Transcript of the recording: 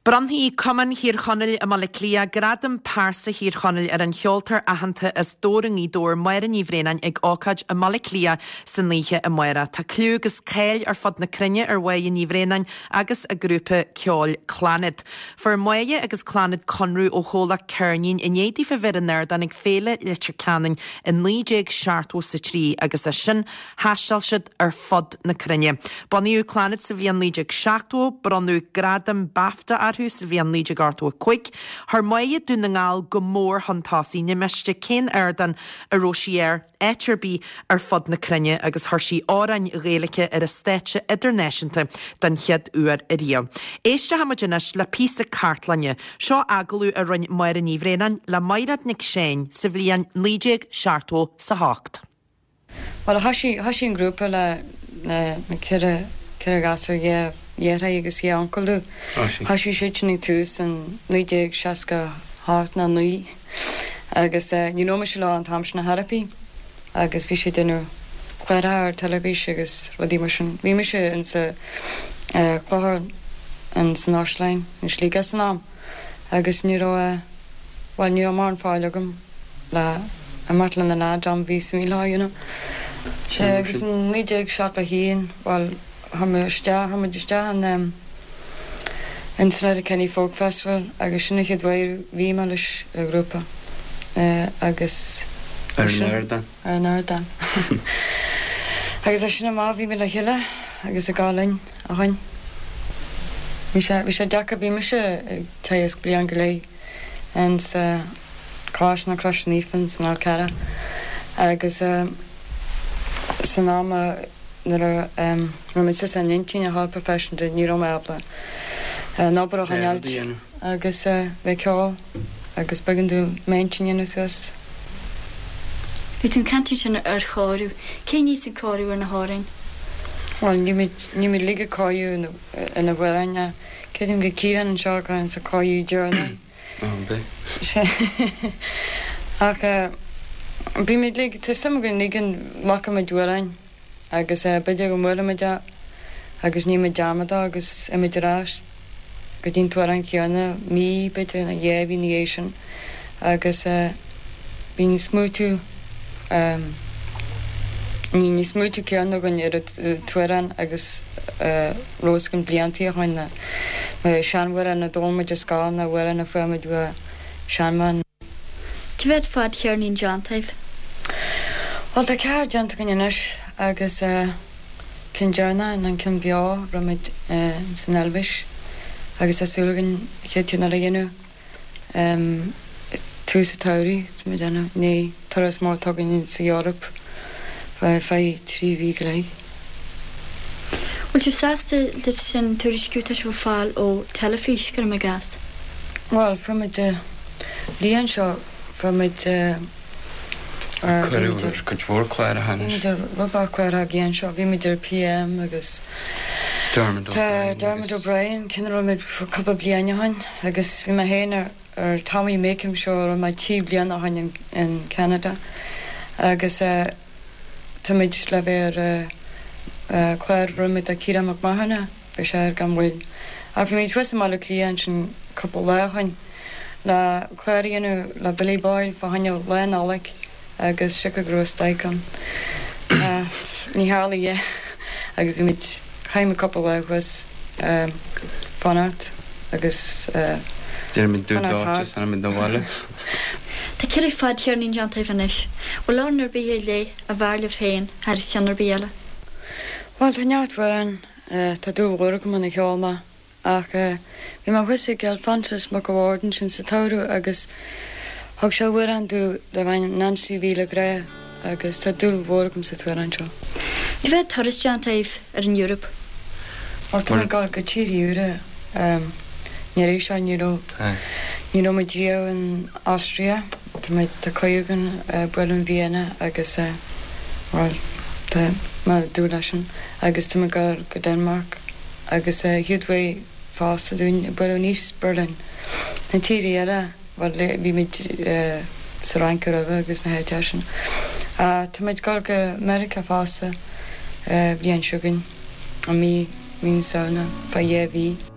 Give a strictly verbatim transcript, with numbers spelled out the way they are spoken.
Bronnfaidh Cumann Thír Chonaill i mBaile Átha Cliath gradam pearsa Thír Chonaill ar an cheoltóir aitheanta as Dobhar i nGaoth Dobhair Máire Ní Bhraonáin ag ócáid i mBaile Átha Cliath san oíche amárach. Tá clú agus cáil ar fud na cruinne ar Mháire Ní Bhraonáin agus a grúpa ceoil Clannad. Fuair Máire agus Clannad conradh ó chomhlacht ceirnín i ndiaidh daofa bheith ar an ardán ag Féile Leitir Ceanainn i naoi déag seachtó sa trí agus as sin thaistil siad ar fud na cruinne. Bunaíodh Clannad sa bhliain naoi déag seachtó, bronnadh gradam BAFTA orthu sa bhliain naoi déag ochtó a cúig. Chuir Máire Dún na nGall go mór chun tosaigh, ní miste cén ardán a raibh sí air áit ar bith ar fud na cruinne agus chuir sí amhráin Ghaeilge ar an stáitse idirnáisiúnta den chéad uair ariamh. Éistfimid anois le píosa cartlainne, seo agallamh a rinne Máire Ní Bhraonáin le Maighread Nic Seáin sa bhliain naoi déag seachtó sa hocht. Bhuel, thoisigh thoisigh an grúpa le na na ceithre ceithre ghasúr dhá dheartháir agus dhá uncail domh. Thoisigh siad sin ag tús in naoi déag seasca hocht nó naoi agus ní raibh mise leo an t-am sin ar chor ar bith agus bhí siad ag déanamh cláracha ar teilifís agus rudaí mar sin. Bhí mise insa chlochar in san Áislann in Sligeach san am agus ní raibh bhuel ní raibh mórán fáil agam le imeacht le na lads am bhí suim leo, you know. Sé agus in naoi déag seachtó a haon bhuel chuir mé isteach chuir muid isteach in um, in san Letterkenny Folk Festival agus sin an chéad uair bhí mé leis an ghrúpa uh, agus Ar an ardán. Ar an ardán. Agus as sin amach bhí mé le chéile agus ag gabháil linn ó shin. Bhí sé bhí sé deacair bhí mise ag teagasc bliain go leith in sa Coláiste na Croise Naofa san Fhál Carrach agus uh, san am nuair a um, raibh mé san intinn a tháil professional ní raibh mé ábalta an obair a choinneáilt agus uh, bheith ceol agus b'éigean domh m'intinn a dhéanamh suas. Bhí tú ag caint sin ar chóiriú, cén níos an cóiriú ar na hamhráin? Well ní ní mé lige cóú ina bhfuilne Céim go cían an seo an sa cóú deireanach. Ach bhí mé lig tá suim againn ligean glacaimid amhrán agus b'fhéidir go mbuailimid é agus ní muid dearmad agus imid ar ais go dtí an t-amhrán céanna mí b'fhéidir nó dhá mhí ina dhiaidh sin agus bíonn smaoitiú ní ní smaoitiú céanna againn ar an t-amhrán agus rós go bliantaí a chuin na seanamhráin a d'fhoghlaim muid ar scoil nó amhráin a fuair muid ó seanmhain. Cá mhéad fadcheirnín déanta agaibh? Well tá ceathair déanta againn anois agus ceann deireanach an ceann beo raibh muid san Eilvéis agus tá súil againn an chéad cheann eile a dhéanamh tús an tsamhraidh tá muid déanamh ní turas mór atá againn sa Eoraip feadh trí mhí go leith. Bhfuil sibh sásta leis sin tuairisciú tá sibh ag fáil ó teilifís cuirim i gcás? Well fuair muid bliain seo fuair muid Cuireadh ar cuid mhór cláracha Bhí muid ar rud cláracha bliain seo, bhí muid ar PM agus Dermot Tá Dermot O'Brien cinn raibh muid cúpla bliain ó shin agus bhí mé féin ar ar Tommy Makem show raibh mé trí bliana ó shin in Canada agus uh, tá muid le bheith ar uh, clár roimh a Ciarán Mac Mathúna bhí sé ar gan mhoill. A bhí muid thuas i mBaile Átha Cliath ansin cúpla lá ó shin le clár a dhéanamh le Billy Boyle fá choinne Lá Nollag agus siocair go raibh stailc ann. Ní tharla é agus bhí muid chaith muid cúpla lá thuas fanacht agus Déanaimid dú dá anam do bhaile. Tá ceithre fadcheirnín déanta agaibh anois, Bhfuil amhrán ar bith ar leith a bhfearr libh féin thar cheann ar bith eile. Well tá neart amhrán tá dúil mhór agam ina cheol maith ach bhí mé thuas ag Alphonsus Mac an Bhaird sin sa tsamhradh agus thug sé amhrán domh darb ainm Nancy Mhíle Grá agus tá dúil mhór agam sa t-amhrán seo. Cá mhéad turas déanta agaibh ar an Eoraip? Well tá mé ag gabháil go tír úra ní raibh sé ní raibh ní raibh muid riamh in Austria Tá muid tá cuireadh againn bualadh in Vienna agus well tá mé ag dúil leis sin agus tá mé ag gabháil go Denmark agus chéad uair fosta dúinn bualadh in East Berlin. Na tíortha eile well bhí muid sa Fhrainc roimhe agus na háiteacha sin. Tá muid ag gabháil go Meiriceá fosta bliain seo chugainn an mí mí na Samhna fá dhá mhí.